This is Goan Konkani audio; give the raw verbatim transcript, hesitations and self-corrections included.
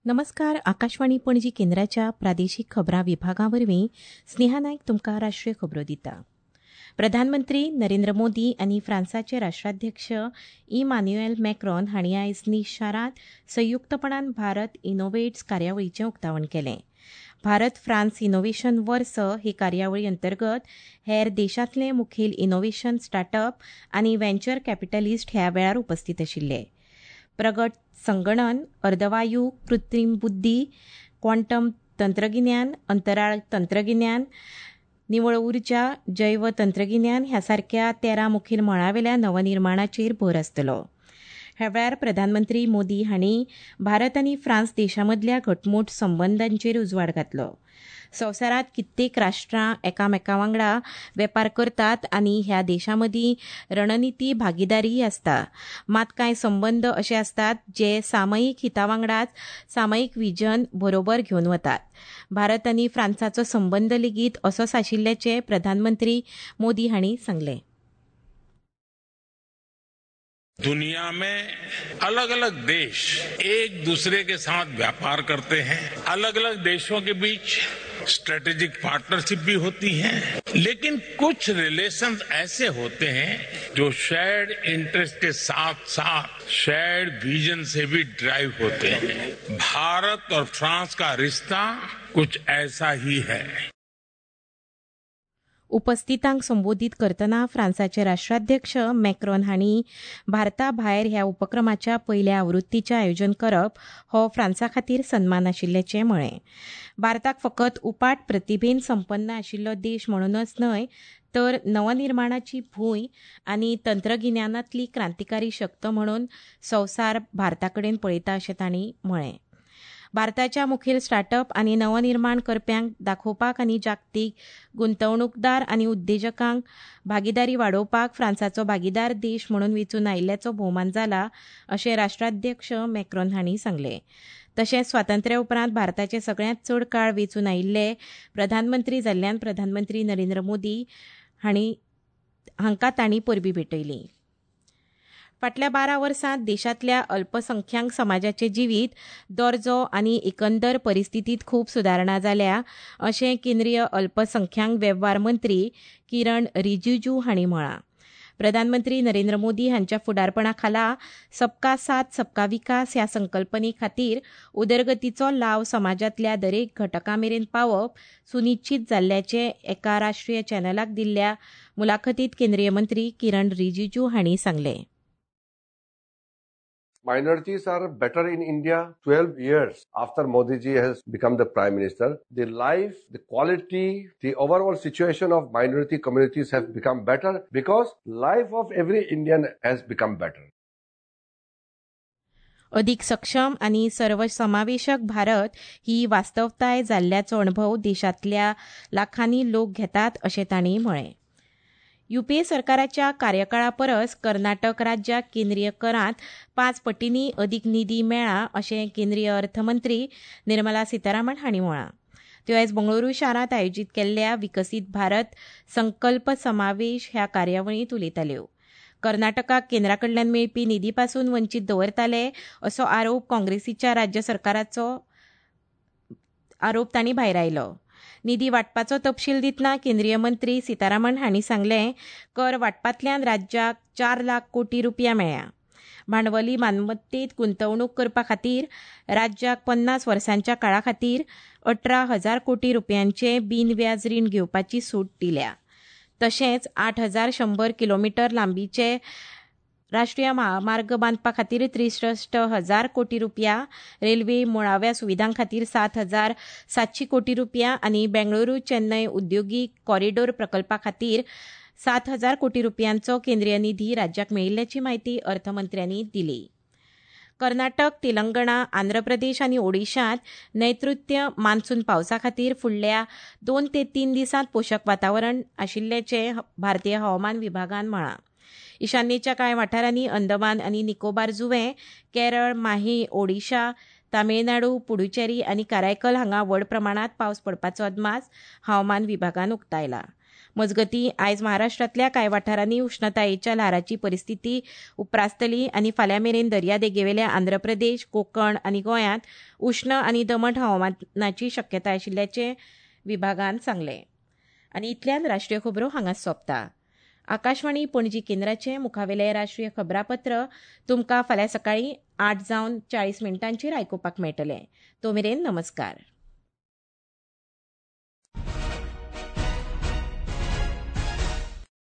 नमस्कार, आकाशवाणी पणजी केंद्राच्या प्रादेशीक खबरां विभागा वरवीं स्नेहा नायक तुमकां राष्ट्रीय खबरो दिता. प्रधानमंत्री नरेंद्र मोदी आनी फ्रांसाचे राष्ट्राध्यक्ष इमान्युएल मॅक्रॉन हांणी आयज नीस शारांत संयुक्तपणान भारत इनोव्हेट्स कार्यावळीचें उक्तावण केलें. भारत फ्रांस इनोव्हेशन वर्स ही कार्यावळी अंतर्गत हेर देशांतले मुखेल इनोव्हेशन स्टार्टअप आनी व्हेंचर कॅपिटलिस्ट ह्या वेळार उपस्थित आशिल्ले. प्रगट संगणन, अर्दवायू, कृत्रीम बुद्धी, क्वांटम तंत्रगिन्यान, अंतराळ तंत्रगिन्यान, निवळ उर्जा, जैव तंत्रगिन्यान ह्या सारक्या तेरा मुखेल मळावेल्या नवनिर्माणाचेर भर आसतलो. ह्या वेळार प्रधानमंत्री मोदी हांणी भारत आनी फ्रांस देशां मदल्या घटमूट संबंदांचेर उजवाड घातलो. संवसारांत कित्येक राष्ट्रां एकामेका वांगडा वेपार करतात आनी ह्या देशां मदीं रणनिती भागीदारीय आसता. मात कांय संबंद अशे आसतात जे सामयीक हिता वांगडाच सामयीक विजन बरोबर घेवन वतात. भारत आनी फ्रांसाचो संबंद लेगीत असोच आशिल्ल्याचें प्रधानमंत्री मोदी हांणी सांगलें. दुनिया में अलग अलग देश एक दूसरे के साथ व्यापार करते हैं, अलग अलग देशों के बीच स्ट्रेटेजिक पार्टनरशिप भी होती है, लेकिन कुछ रिलेशंस ऐसे होते हैं जो शेयर्ड इंटरेस्ट के साथ साथ शेयर्ड विजन से भी ड्राइव होते हैं. भारत और फ्रांस का रिश्ता कुछ ऐसा ही है. उपस्थितांक संबोधीत करतना फ्रांसाचे राष्ट्राध्यक्ष मॅक्रॉन हांणी भारता भायर ह्या उपक्रमाच्या पयल्या आवृत्तीचें आयोजन करप हो फ्रांसा खातीर सन्मान आशिल्ल्याचें म्हळें. भारताक फकत उपाट प्रतिभेन संपन्न आशिल्लो देश म्हणूनच न्हय तर नवनिर्माणाची भूंय आनी तंत्रगिन्यानांतली क्रांतिकारी शक्त म्हणून संवसार भारता कडेन पळयता अशें तांणी म्हळें. भारताच्या मुखेल स्टार्टअप आनी नवनिर्माण करप्यांक दाखोवपाक आनी जागतीक गुंतवणूकदार आनी उद्देजकांक भागीदारी वाडोवपाक फ्रांसाचो भागीदार देश म्हणून वेंचून आयिल्ल्याचो भोवमान जाला अशें राष्ट्राध्यक्ष मॅक्रॉन हांणी सांगलें. तशेंच स्वातंत्र्या उपरांत भारताचे सगळ्यांत चड काळ वेंचून आयिल्ले प्रधानमंत्री जाल्ल्यान प्रधानमंत्री नरेंद्र मोदी हांणी हांकां तांणी परबीं भेटयली. फाटल्या बारा वर्सांत देशांतल्या अल्पसंख्याक समाजाचें जिवीत दर्जो आनी एकंदर परिस्थितींत खूब सुदारणा जाल्या अशें केंद्रीय अल्पसंख्याक वेव्हार मंत्री किरण रिजिजू हांणी म्हळां. प्रधानमंत्री नरेंद्र मोदी हांच्या फुडारपणा खाला सबका साथ सबका विकास ह्या संकल्पने खातीर उदरगतीचो लाव समाजांतल्या दरेक घटका मेरेन पावप सुनिश्चीत जाल्ल्याचें एका राष्ट्रीय चॅनलाक दिल्ल्या मुलाखतींत केंद्रीय मंत्री किरण रिजिजू हांणी सांगलें. Minorities are better in India twelve years after Modi ji has become the Prime Minister. The life, the quality, the overall situation of minority communities have become better because life of every Indian has become better. अदीक सक्षम आनी सर्वसमावेशक भारत ही वास्तवताय जाल्ल्याचो अणभव देशांतल्या लाखांनी लोक घेतात अशें तांणी म्हळें. युपीए सरकाराच्या कार्यकाळा परस कर्नाटक राज्याक केंद्रीय करांत पांच पटींनी अदीक निधी मेळ्ळा अशें केंद्रीय अर्थमंत्री निर्मला सीतारामन हांणी म्हळां. त्यो आयज बंगळुरू शारांत आयोजीत केल्ल्या विकसीत भारत संकल्प समावेश ह्या कार्यावळींत उलयताल्यो. कर्नाटकाक केंद्रा कडल्यान मेळपी निधी पासून वंचीत दवरताले असो आरोप काँग्रेसीच्या राज्य सरकाराचो आरोप तांणी भायरायलो. निधी वांटपाचो तपशील दितना केंद्रीय मंत्री सीतारामन हांणी सांगलें, कर वांटपांतल्यान राज्याक चार लाख कोटी रुपया मेळ्ळ्या. भांडवली मालमत्तेत गुंतवणूक करपा खातीर राज्याक पन्नास वर्सांच्या काळा खातीर अठरा हजार कोटी रुपयांचे बिनव्याज रीण घेवपाची सूट दिल्या. तशेंच आठ हजार शंबर किलोमिटर लांबीचे राष्ट्रीय महामार्ग बांदपा खातीर त्रेसश्ट हजार कोटी रुपया, रेल्वे मुळाव्या सुविधां खातीर सात हजार सातशी कोटी रुपया आनी बेंगळुरू चेन्नय उद्योगीक कॉरिडोर प्रकल्पा खातीर सात हजार कोटी रुपयांचो केंद्रीय निधी राज्याक मेळिल्ल्याची म्हायती अर्थमंत्र्यांनी दिली. कर्नाटक, तेलंगणा, आंध्र प्रदेश आनी ओडिशांत नैऋत्य मान्सून पावसा खातीर फुडल्या दोन ते तीन दिसांत पोशक वातावरण आशिल्ल्याचें भारतीय हवामान विभागान म्हळां. ईशान्येच्या कांय वाठारांनी अंदमान आनी निकोबार जुंवे, केरळ, माही, ओडिशा, तामिळनाडू, पुडुचेरी आनी कारायकल हांगा व्हड प्रमाणांत पावस पडपाचो अदमास हवामान विभागान उक्तायला. मजगतीं, आयज महाराष्ट्रांतल्या कांय वाठारांनी उश्णतायेच्या ल्हाराची परिस्थिती उप्रासतली आनी फाल्यां मेरेन दर्यादेगेवेल्या आंध्र प्रदेश, कोकण आनी गोंयांत उश्ण आनी दमट हवामानाची शक्यताय आशिल्ल्याचें विभागान सांगलें. आनी इतल्यान राष्ट्रीय खबरो हांगाच सोंपता. आकाशवाणी पणजी केंद्राचें मुखावेलें राष्ट्रीय खबरापत्र तुमकां फाल्यां सकाळीं आठ जावन चाळीस मिनटांचेर आयकुपाक मेळटलें. तो मेरेन नमस्कार.